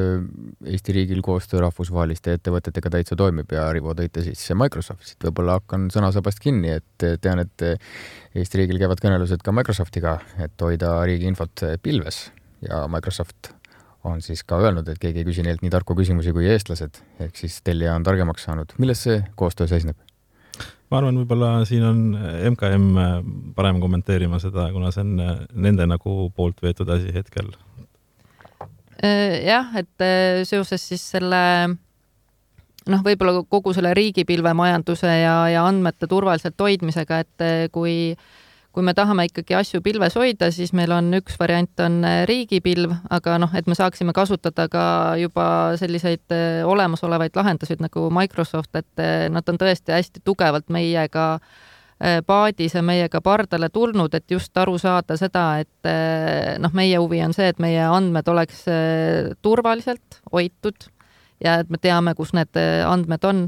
Eesti riigil koostöö rahvusvaheliste ettevõtetega täitsa toimib ja Rivo tõite siis Microsoftit. Võib-olla hakkan sõnasabast kinni, et tean, et Eesti riigil käivad kõnelused ka Microsoftiga, et hoida riigi infot pilves ja Microsoft on siis ka öelnud, et keegi ei küsi neilt nii tarku küsimusi kui eestlased, ehk siis tellija on targemaks saanud. Milles see koostöö seisneb? Ma arvan, võib-olla siin on MKM parem kommenteerima seda, kuna see on nende nagu poolt veetud asi hetkel. Jah, et seoses siis selle võib-olla kogu selle riigipilvemajanduse ja andmete turvaliselt hoidmisega, et kui me tahame ikkagi asju pilves hoida, siis meil on üks variant on riigipilv, aga et me saaksime kasutada ka juba selliseid olemasolevaid lahendusid nagu Microsoft, et nad on tõesti hästi tugevalt meiega paadis ja meiega pardale tulnud, et just aru saada seda, et meie huvi on see, et meie andmed oleks turvaliselt hoitud ja et me teame, kus need andmed on.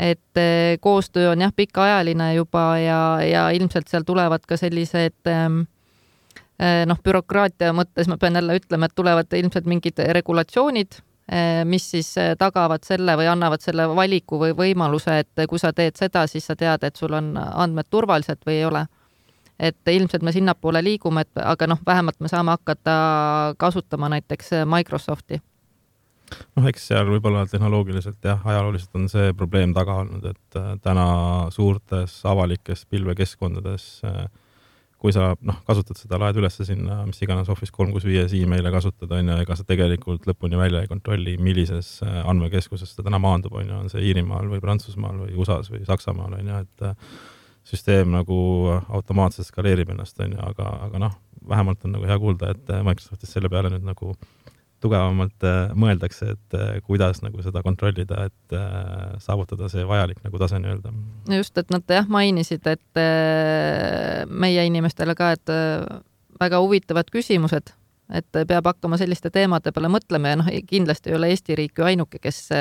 Et koostöö on jah pikaajaline juba ja ilmselt seal tulevad ka sellised bürokraatia mõttes, ma pean jälle ütlema, et tulevad ilmselt mingid regulatsioonid, mis siis tagavad selle või annavad selle valiku või võimaluse, et kui sa teed seda, siis sa tead, et sul on andmed turvaliselt või ei ole. Et ilmselt me sinnapoole liigume, aga vähemalt me saame hakata kasutama näiteks Microsofti. Eks seal võib-olla tehnoloogiliselt ja ajalooliselt on see probleem taga olnud, et täna suurtes avalikes pilvekeskkondades kui sa kasutad seda, laed üles sinna, mis iganes Office 365 e-maile kasutad, ega sa tegelikult lõpuni välja ei kontrolli, millises andmekeskuses ta täna maandub, on see Iirimaal või Prantsusmaal või USAs või Saksamaal, et süsteem nagu automaatselt skaleerib ennast, on ju, aga noh, vähemalt on nagu hea kuulda, et Microsoftis selle peale nüüd nagu tugevamalt mõeldakse, et kuidas nagu seda kontrollida, et saavutada see vajalik nagu tase nii-öelda. Just, et nad mainisid, et meie inimestele ka, et väga huvitavad küsimused, et peab hakkama selliste teemade peale mõtlema ja kindlasti ei ole Eesti riik ju ainuke, kes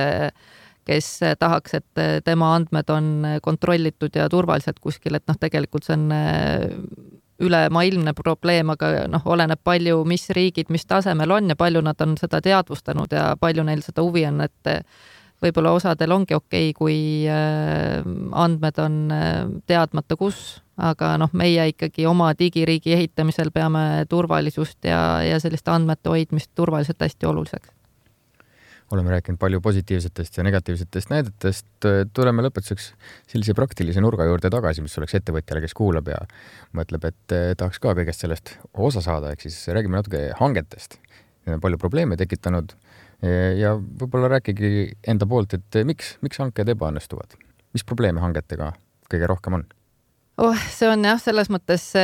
tahaks, et tema andmed on kontrollitud ja turvaliselt kuskil, et tegelikult see on ülemaailmne probleem, aga oleneb palju, mis riigid, mis tasemel on ja palju nad on seda teadvustanud ja palju neil seda huvi on, et võib-olla osadel ongi okei, kui andmed on teadmata kus, aga meie ikkagi oma digiriigi ehitamisel peame turvalisust ja selliste andmete hoidmist turvaliselt hästi oluliseks. Oleme rääkinud palju positiivsetest ja negatiivsetest näidetest. Tuleme lõpetuseks sellise praktilise nurga juurde tagasi, mis oleks ettevõtjale, kes kuulab ja mõtleb, et tahaks ka kõigest sellest osa saada. Ehk siis räägime natuke hangetest. Need on palju probleeme tekitanud ja võib-olla rääkigi enda poolt, et miks hanked ebaõnnestuvad? Mis probleeme hangetega kõige rohkem on? See on selles mõttes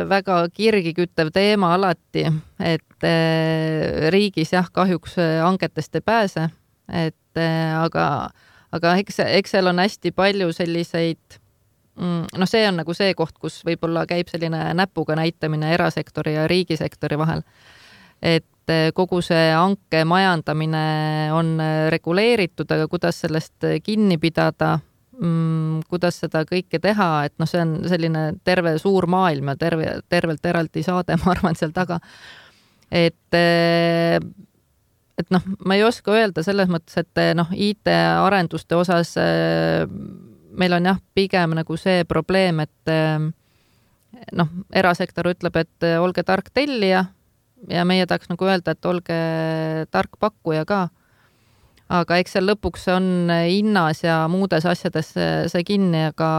väga kirgi küttev teema alati, et riigis kahjuks hangetest ei pääse, aga eks seal on hästi palju selliseid, see on nagu see koht, kus võib-olla käib selline näpuga näitamine erasektori ja riigisektori vahel, et kogu see hanke majandamine on reguleeritud, aga kuidas sellest kinni pidada, kuidas seda kõike teha, et see on selline terve suur maailm ja tervelt eraldi saade, ma arvan, seal taga. Et ma ei oska öelda selles mõttes, et IT-arenduste osas meil on pigem nagu see probleem, et erasektor ütleb, et olge tark tellija ja meie tahaks nagu öelda, et olge tark pakkuja ka. Aga eks seal lõpuks on hinnas ja muudes asjades see kinni, aga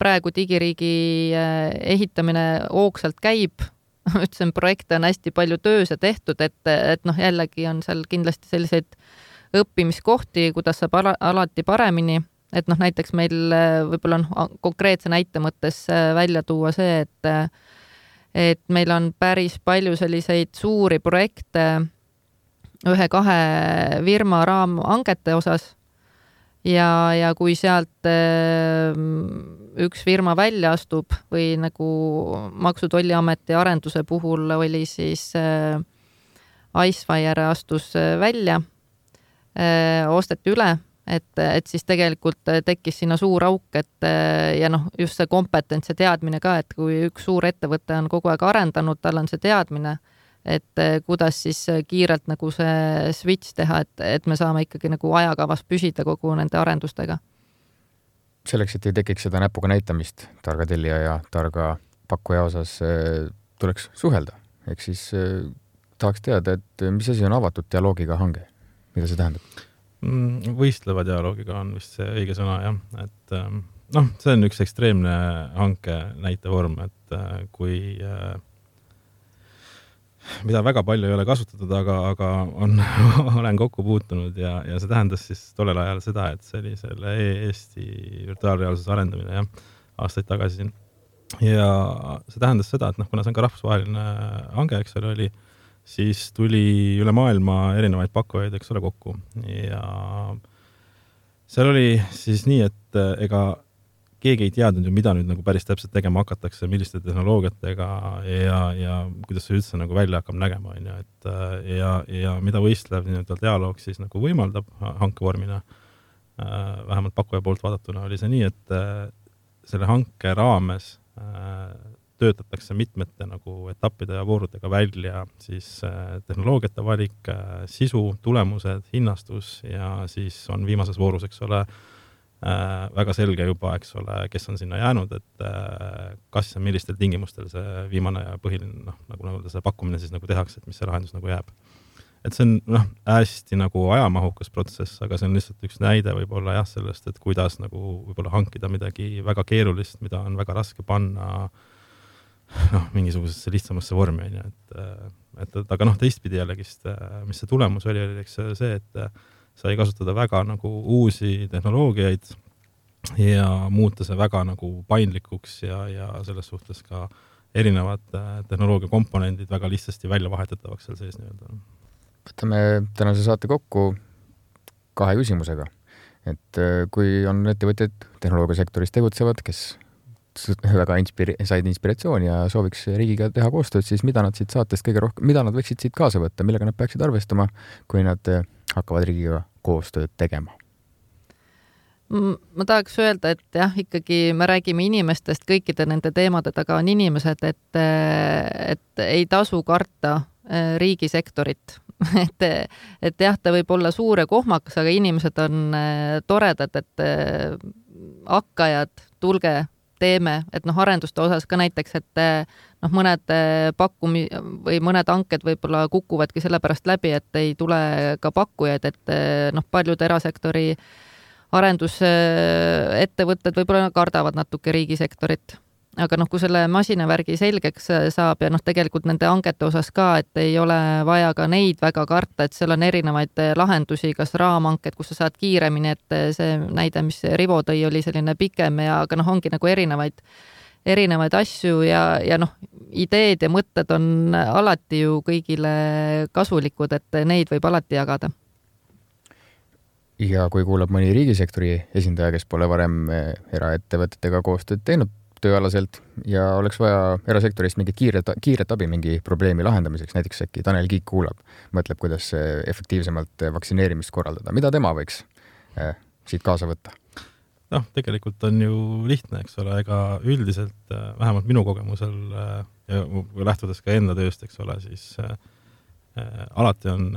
praegu digiriigi ehitamine hoogsalt käib. Ütlesin, projekte on hästi palju töös ja tehtud, et jällegi on seal kindlasti selliseid õppimiskohti, kuidas saab alati paremini. Et näiteks meil võib-olla on konkreetse näite mõttes välja tuua see, et meil on päris palju selliseid suuri projekte 1-2 firma raamhangete osas ja kui sealt üks firma välja astub või nagu Maksu- ja Tolliameti arenduse puhul oli siis Icefire astus välja, osteti üle, et siis tegelikult tekkis sinna suur auk, et ja just see kompetents ja teadmine ka, et kui üks suur ettevõte on kogu aeg arendanud, tal on see teadmine, et kuidas siis kiirelt nagu see switch teha, et me saame ikkagi nagu ajakavas püsida kogu nende arendustega. Selleks, et ei tekiks seda näpuga näitamist targa tellija ja targa pakkuja osas, tuleks suhelda. Ehk siis tahaks teada, et mis asi on avatud dialoogiga hange? Mida see tähendab? Võistleva dialoogiga on vist see õige sõna, jah. Et see on üks ekstreemne hanke näitevorm, et kui mida väga palju ei ole kasutatud, aga olen kokku puutunud ja see tähendas siis tollel ajal seda, et see oli selle Eesti virtuaalreaalsuse arendamine aastaid tagasi. Ja see tähendas seda, et kuna see on ka rahvusvaheline hange, eks ole, oli, siis tuli üle maailma erinevaid pakkujaid, eks ole, kokku. Ja seal oli siis nii, et ega keegi ei teadnud ju, mida nüüd nagu päris täpselt tegema hakatakse, milliste tehnoloogiatega ja kuidas see üldse nagu välja hakkab nägema. Ja mida võistlev dialoog siis nagu võimaldab hankevormina, vähemalt pakkuja poolt vaadatuna, oli see nii, et selle hanke raames töötatakse mitmete nagu etappide ja voorudega välja siis tehnoloogiate valik, sisu, tulemused, hinnastus ja siis on viimases voorus, eks ole, väga selge juba, eks ole, kes on sinna jäänud, et kas ja millistel tingimustel see viimane ja põhiline, nagu see pakkumine siis nagu tehakse, et mis see lahendus nagu jääb. Et see on hästi nagu ajamahukas protsess, aga see on lihtsalt üks näide võib-olla sellest, et kuidas nagu võib-olla hankida midagi väga keerulist, mida on väga raske panna mingisugusesse lihtsamasse vormi. Aga teistpidi jällegist, mis see tulemus oli, eks see, et sai kasutada väga nagu uusi tehnoloogiaid, ja muuta see väga nagu paindlikuks ja selles suhtes ka erinevad tehnoloogia komponendid väga lihtsasti välja vahetatavaks seal sees nii-öelda. Võtame tänase saate kokku 2 küsimusega. Et kui on ettevõtted tehnoloogiasektoris tegutsevad, kes väga said inspiratsiooni ja sooviks riigiga teha koostööd, siis mida nad siit saatest kõige rohkem, mida nad võiksid siit kaasa võtta, millega nad peaksid arvestama, kui nad hakkavad riigiga koostööd tegema? Ma tahaks öelda, et jah, ikkagi me räägime inimestest, kõikide nende teemade taga on inimesed, et ei tasu karta riigisektorit. et jah, ta võib olla suur ja kohmakas, aga inimesed on toredad, et hakkajad, tulge, teeme, et arenduste osas ka näiteks, et mõned või mõned hanked võib-olla kukuvadki sellepärast läbi, et ei tule ka pakkujaid, et paljud erasektori arendusettevõtted võib-olla kardavad natuke riigisektorit. Aga kui selle masinavärgi selgeks saab ja tegelikult nende hangete osas ka, et ei ole vaja ka neid väga karta, et seal on erinevaid lahendusi, kas raamhanked, kus sa saad kiiremini, et see näide, mis Rivo tõi, oli selline pikem ja aga ongi nagu erinevaid asju ja ideed ja mõtted on alati ju kõigile kasulikud, et neid võib alati jagada. Ja kui kuulab mõni riigisektori esindaja, kes pole varem eraettevõtetega koostööd teinud tööalaselt ja oleks vaja erasektorist mingit kiiret abi mingi probleemi lahendamiseks, näiteks äkki Tanel Kiik kuulab, mõtleb, kuidas efektiivsemalt vaktsineerimist korraldada. Mida tema võiks siit kaasa võtta? Tegelikult on ju lihtne, eks ole, ega üldiselt vähemalt minu kogemusel ja lähtudes ka enda tööst, eks ole, siis alati on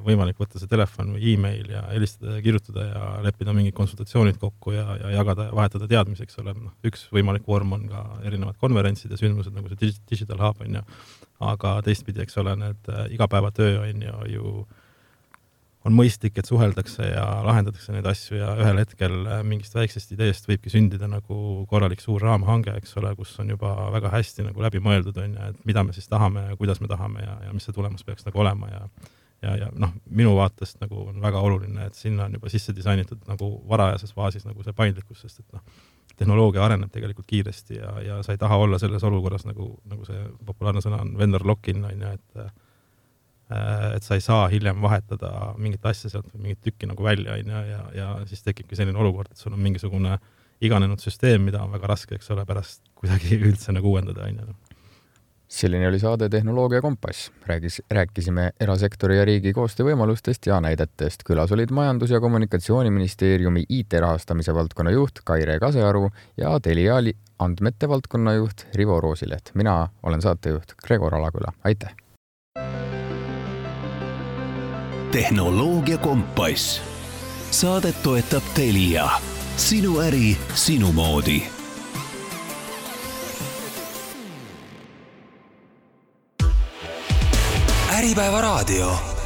võimalik võtta see telefon või e-mail ja helistada ja kirjutada ja leppida mingid konsultatsioonid kokku ja jagada ja vahetada teadmisi, eks ole. Üks võimalik vorm on ka erinevad konverentsid ja sündmused, nagu see Digital Hub on ju. Aga teistpidi, eks ole, need igapäevatöö on ju on mõistlik, et suheldakse ja lahendatakse neid asju ja ühel hetkel mingist väiksest ideest võibki sündida nagu korralik suur raamhange, eks ole, kus on juba väga hästi nagu läbi mõeldud on ja et mida me siis tahame ja kuidas me tahame ja mis see tulemus peaks nagu olema ja minu vaatest nagu on väga oluline, et sinna on juba sisse disainitud nagu varajases faasis nagu see paindlikkus, sest et tehnoloogia areneb tegelikult kiiresti ja sa ei taha olla selles olukorras nagu see populaarne sõna on vendor lock-in on ja et sa ei saa hiljem vahetada mingit asja sealt või mingit tükki nagu välja ja siis tekibki selline olukord, et sul on mingisugune iganenud süsteem, mida on väga raske, eks ole, pärast kuidagi üldse nagu uuendada. Selline oli saade Tehnoloogia Kompass. Rääkisime erasektori ja riigi koostöövõimalustest ja näidetest. Külas olid Majandus- ja Kommunikatsiooniministeeriumi IT-rahastamise valdkonna juht Kaire Kasearu ja Telia andmete valdkonna juht Rivo Roosileht. Mina olen saatejuht Gregor Alaküla. Aitäh! Tehnoloogia Kompass. Saadet toetab Telia. Sinu äri, sinu moodi. Äripäeva raadio.